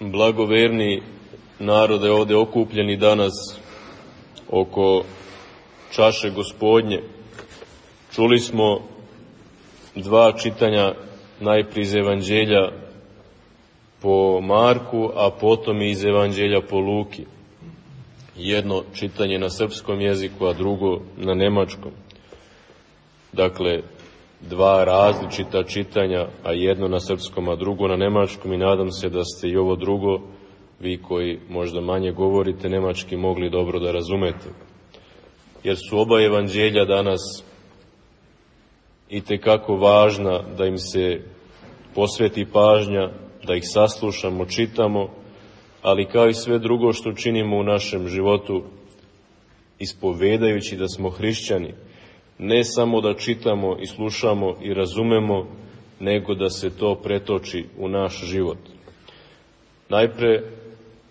Blagoverni narode ovdje okupljeni danas oko čaše Gospodnje. Čuli smo dva čitanja, najprije iz Evanđelja po Marku, a potom i iz Evanđelja po Luki. Jedno čitanje na srpskom jeziku, a drugo na nemačkom. Dakle, dva različita čitanja, a jedno na srpskom, a drugo na nemačkom, i nadam se da ste i ovo drugo, vi koji možda manje govorite nemački, mogli dobro da razumete. Jer su oba evanđelja danas itekako važna da im se posveti pažnja, da ih saslušamo, čitamo, ali kao i sve drugo što činimo u našem životu, ispovedajući da smo hrišćani, ne samo da čitamo i slušamo i razumemo, nego da se to pretoči u naš život. Najpre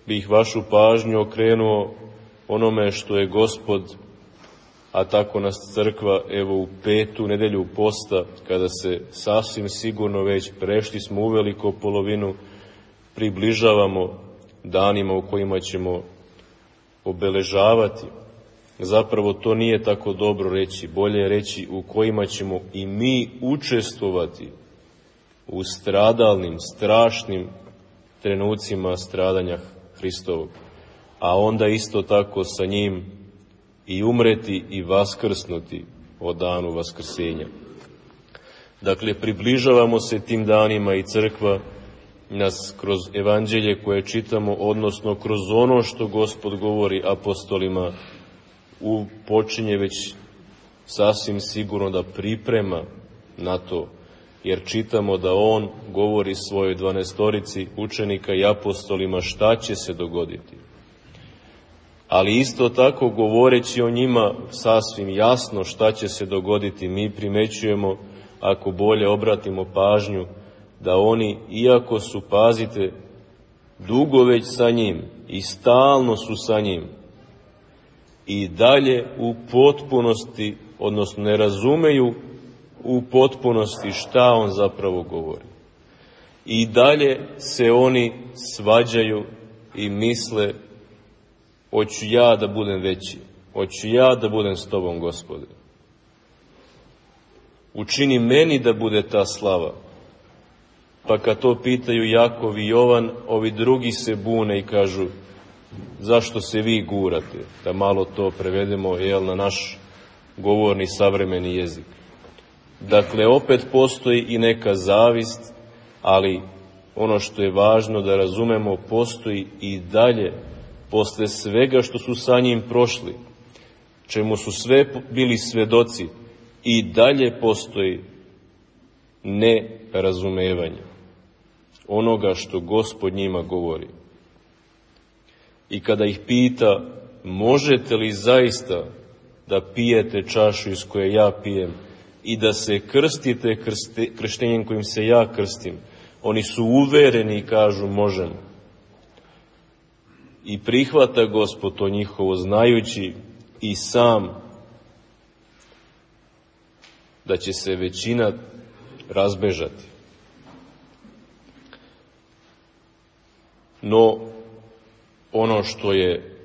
bih vašu pažnju okrenuo onome što je Gospod, a tako nas crkva, evo u 5. nedelju posta, kada se sasvim sigurno već prešli smo u veliko polovinu, približavamo danima u kojima ćemo obeležavati. Zapravo to nije tako dobro reći, bolje je reći u kojima ćemo i mi učestvovati u stradalnim, strašnim trenucima stradanja Hristovog, a onda isto tako sa njim i umreti i vaskrsnuti o danu vaskrsenja. Dakle, približavamo se tim danima i crkva nas kroz evanđelje koje čitamo, odnosno kroz ono što Gospod govori apostolima, počinje već sasvim sigurno da priprema na to, jer čitamo da on govori svojoj 12 učenika i apostolima šta će se dogoditi. Ali isto tako, govoreći o njima sasvim jasno šta će se dogoditi, mi primećujemo, ako bolje obratimo pažnju, da oni, iako su, pazite, dugo već sa njim i stalno su sa njim, i dalje u potpunosti, odnosno ne razumeju u potpunosti šta on zapravo govori. I dalje se oni svađaju i misle, hoću ja da budem veći, hoću ja da budem s tobom, Gospode. Učini meni da bude ta slava. Pa kad to pitaju Jakov i Jovan, ovi drugi se bune i kažu, zašto se vi gurate? Da malo to prevedemo na naš govorni savremeni jezik. Dakle, opet postoji i neka zavist, ali ono što je važno da razumemo, postoji i dalje, posle svega što su sa njim prošli, čemu su sve bili svedoci, i dalje postoji nerazumevanje onoga što Gospod njima govori. I kada ih pita, možete li zaista da pijete čašu iz koje ja pijem i da se krstite krštenjem kojim se ja krstim, oni su uvereni i kažu možemo. I prihvata Gospod to njihovo, znajući i sam da će se većina razbežati. No, ono što je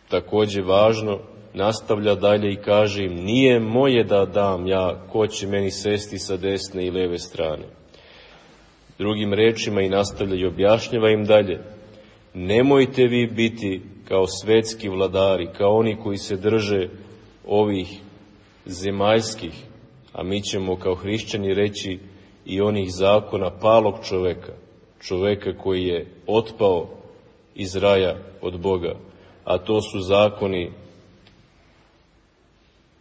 takođe važno, nastavlja dalje i kaže im, nije moje da dam ja, ko će meni sesti sa desne i leve strane. Drugim rečima, i nastavlja i objašnjava im dalje, nemojte vi biti kao svetski vladari, kao oni koji se drže ovih zemaljskih, a mi ćemo kao hrišćani reći i onih zakona palog čoveka, čoveka koji je otpao iz raja od Boga, a to su zakoni,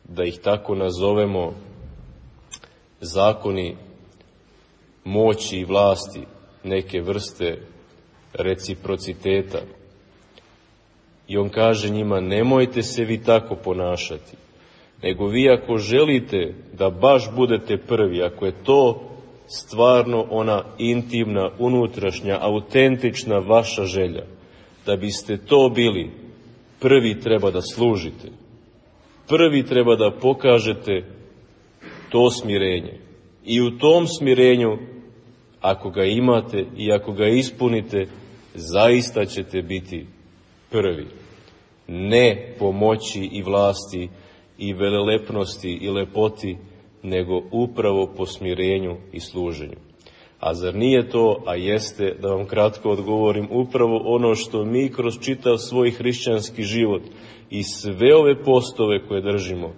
da ih tako nazovemo, zakoni moći i vlasti, neke vrste reciprociteta. I on kaže njima, nemojte se vi tako ponašati, nego vi ako želite da baš budete prvi, ako je to stvarno ona intimna, unutrašnja, autentična vaša želja, da biste to bili, prvi treba da služite. Prvi treba da pokažete to smirenje. I u tom smirenju, ako ga imate i ako ga ispunite, zaista ćete biti prvi. Ne po moći i vlasti i velelepnosti i lepoti, nego upravo po smirenju i služenju. A zar nije to, a jeste, da vam kratko odgovorim, upravo ono što mi kroz čitav svoj hrišćanski život i sve ove postove koje držimo,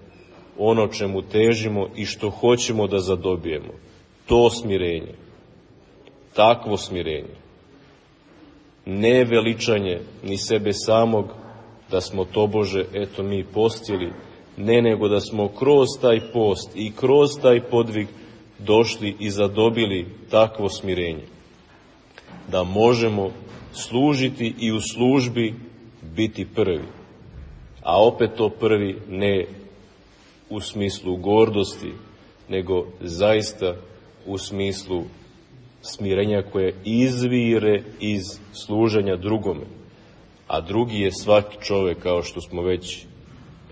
ono čemu težimo i što hoćemo da zadobijemo, to smirenje, takvo smirenje, ne veličanje ni sebe samog, da smo tobože, eto mi postili, ne, nego da smo kroz taj post i kroz taj podvig došli i zadobili takvo smirenje, da možemo služiti i u službi biti prvi, a opet to prvi ne u smislu gordosti, nego zaista u smislu smirenja koje izvire iz služenja drugome, a drugi je svaki čovek, kao što smo već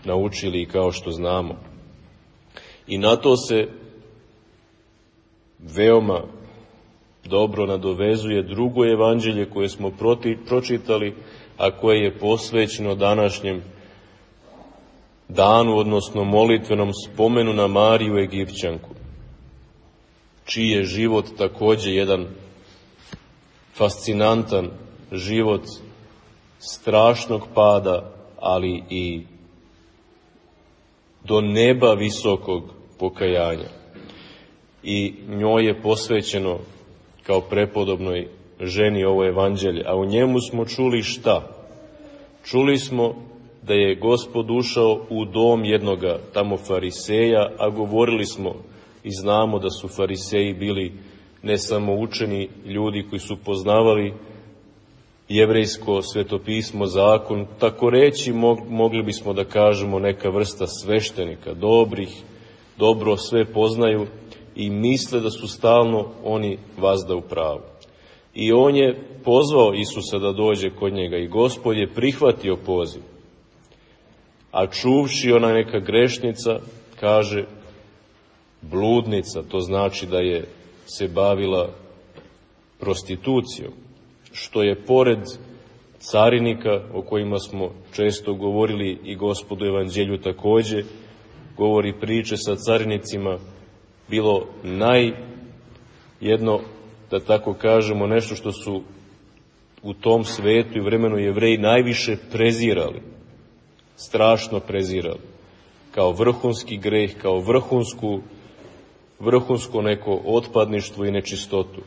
naučili i kao što znamo. I na to se veoma dobro nadovezuje drugo evanđelje koje smo pročitali, a koje je posvećeno današnjem danu, odnosno molitvenom spomenu na Mariju Egipćanku, čiji je život takođe jedan fascinantan život strašnog pada, ali i do neba visokog pokajanja. I njoj je posvećeno kao prepodobnoj ženi ovo evanđelje, a u njemu smo čuli šta? Čuli smo da je Gospod ušao u dom jednoga tamo fariseja, a govorili smo i znamo da su fariseji bili ne samo učeni ljudi koji su poznavali jevrejsko svetopismo, zakon, tako reći mogli bismo da kažemo neka vrsta sveštenika, dobro sve poznaju i misle da su stalno oni vazda u pravu. I on je pozvao Isusa da dođe kod njega i Gospod je prihvatio poziv. A čuvši ona neka grešnica, kaže bludnica, to znači da je se bavila prostitucijom, što je pored carinika o kojima smo često govorili i Gospodu evanđelju takođe, govori priče sa carinicima, bilo jedno, da tako kažemo, nešto što su u tom svetu i vremenu Jevreji najviše prezirali, strašno prezirali, kao vrhunski greh, kao vrhunsko neko otpadništvo i nečistotu.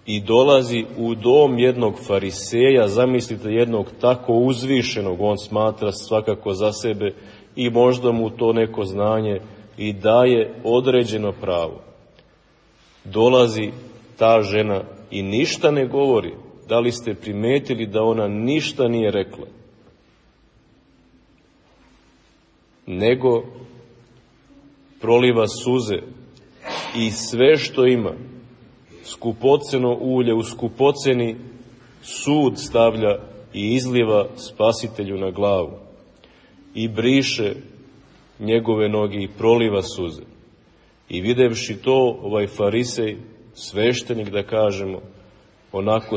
I dolazi u dom jednog fariseja, zamislite jednog tako uzvišenog, on smatra svakako za sebe i možda mu to neko znanje i daje određeno pravo. Dolazi ta žena i ništa ne govori. Da li ste primetili da ona ništa nije rekla? Nego proliva suze i sve što ima, skupoceno ulje u skupoceni sud stavlja i izliva Spasitelju na glavu i briše njegove noge i proliva suze. I videvši to, ovaj farisej, sveštenik da kažemo, onako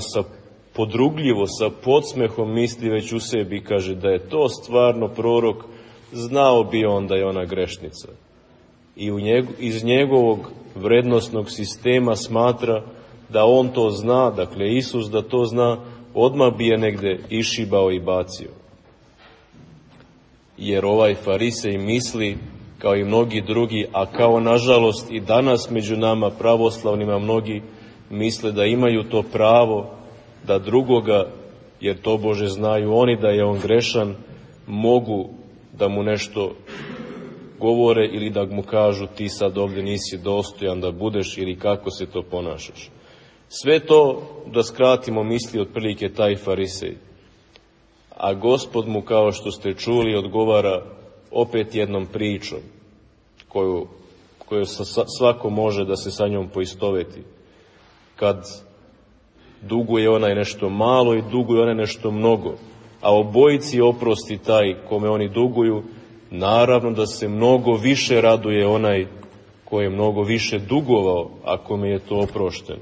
podrugljivo, sa podsmehom misli već u sebi, kaže da je to stvarno prorok, znao bi on da je ona grešnica. I iz njegovog vrednosnog sistema smatra da on to zna, dakle Isus da to zna, odmah bi je negde išibao i bacio. Jer ovaj farisej misli, kao i mnogi drugi, a kao nažalost i danas među nama pravoslavnima mnogi misle da imaju to pravo da drugoga, jer to Bože znaju oni da je on grešan, mogu da mu nešto govore ili da mu kažu ti sad ovdje nisi dostojan da budeš ili kako se to ponašaš. Sve to, da skratimo misli, otprilike taj farisej. A Gospod mu, kao što ste čuli, odgovara opet jednom pričom koju svako može da se sa njom poistoveti. Kad duguje onaj nešto malo i duguje onaj nešto mnogo, a obojici oprosti taj kome oni duguju, naravno da se mnogo više raduje onaj ko je mnogo više dugovao, a kome je to oprošteno.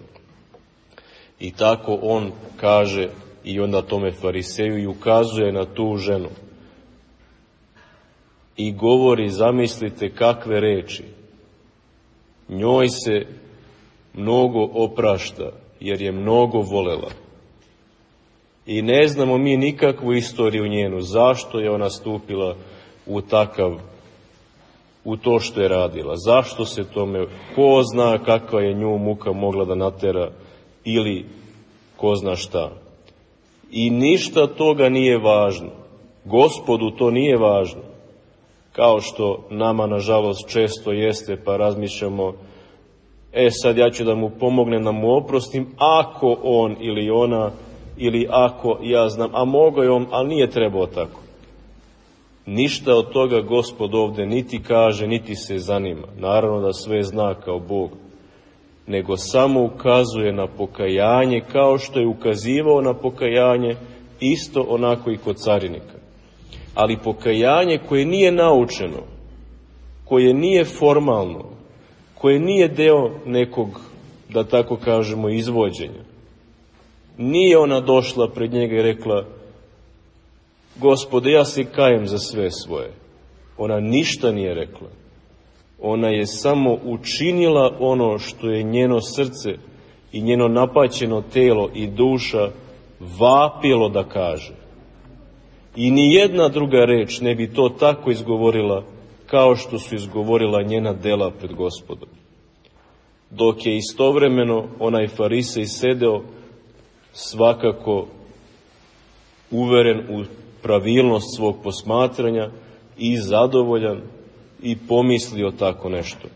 I tako on kaže i onda tome fariseju i ukazuje na tu ženu. I govori, zamislite kakve reči. Njoj se mnogo oprašta, jer je mnogo volela. I ne znamo mi nikakvu istoriju njenu, zašto je ona stupila u to što je radila. Zašto se tome, ko zna kakva je nju muka mogla da natera ili ko zna šta. I ništa toga nije važno. Gospodu to nije važno. Kao što nama, nažalost, često jeste, pa razmišljamo, sad ja ću da mu pomognem, da mu oprostim, ako on ili ona, ili ako ja znam, a mogao je on, ali nije trebao tako. Ništa od toga Gospod ovde niti kaže, niti se zanima. Naravno da sve zna kao Bog, nego samo ukazuje na pokajanje, kao što je ukazivao na pokajanje, isto onako i kod carinika. Ali pokajanje koje nije naučeno, koje nije formalno, koje nije deo nekog, da tako kažemo, izvođenja. Nije ona došla pred njega i rekla: Gospode, ja se kajem za sve svoje. Ona ništa nije rekla. Ona je samo učinila ono što je njeno srce i njeno napaćeno telo i duša vapilo da kaže. I ni jedna druga reč ne bi to tako izgovorila kao što su izgovorila njena dela pred Gospodom. Dok je istovremeno onaj farisej sedeo, svakako uveren u pravilnost svog posmatranja i zadovoljan i pomislio tako nešto.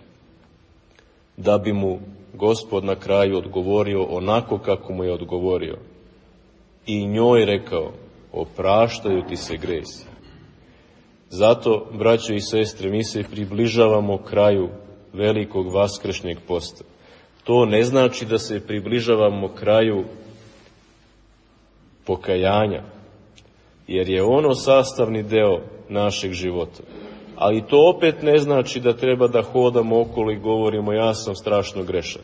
Da bi mu Gospod na kraju odgovorio onako kako mu je odgovorio. I njoj rekao: opraštaju ti se gresi. Zato, braćo i sestre, mi se približavamo kraju velikog vaskršnjeg posta. To ne znači da se približavamo kraju pokajanja, jer je ono sastavni deo našeg života. Ali to opet ne znači da treba da hodamo okolo i govorimo: ja sam strašno grešan.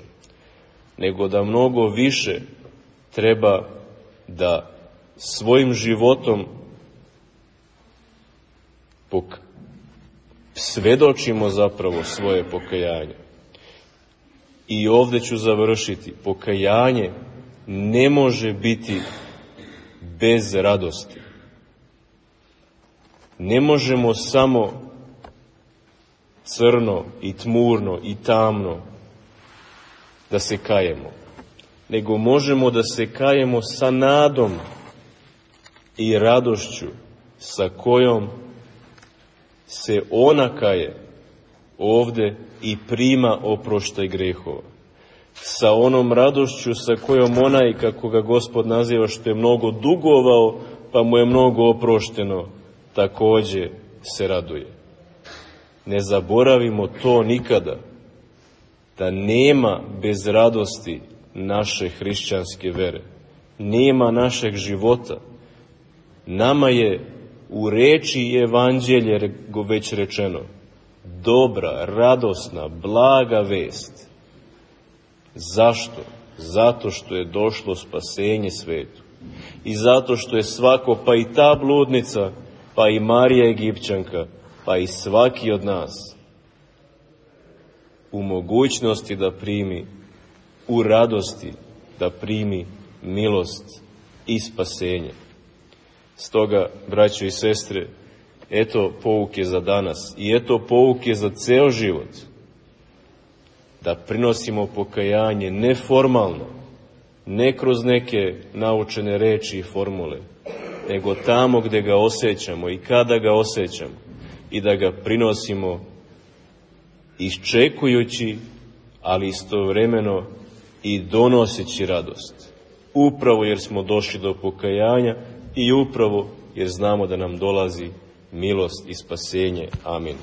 Nego da mnogo više treba da svojim životom svedočimo zapravo svoje pokajanje. I ovde ću završiti. Pokajanje ne može biti bez radosti. Ne možemo samo crno i tmurno i tamno da se kajemo, nego možemo da se kajemo sa nadom i radošću sa kojom se ona kaje ovde i prima oproštaj grehova. Sa onom radošću sa kojom onaj, kako ga Gospod naziva, što je mnogo dugovao, pa mu je mnogo oprošteno, takođe se raduje. Ne zaboravimo to nikada, da nema bez radosti naše hrišćanske vere. Nema našeg života. Nama je u reči i evanđelje već rečeno: dobra, radosna, blaga vest. Zašto? Zato što je došlo spasenje svetu. I zato što je svako, pa i ta bludnica, pa i Marija Egipćanka, pa i svaki od nas u mogućnosti da primi, u radosti da primi milost i spasenje. Stoga, braćo i sestre, eto pouke za danas i eto pouke za ceo život. Da prinosimo pokajanje neformalno, ne kroz neke naučene reči i formule, nego tamo gde ga osjećamo i kada ga osjećamo, i da ga prinosimo iščekujući, ali istovremeno i donoseći radost. Upravo jer smo došli do pokajanja i upravo jer znamo da nam dolazi milost i spasenje. Amin.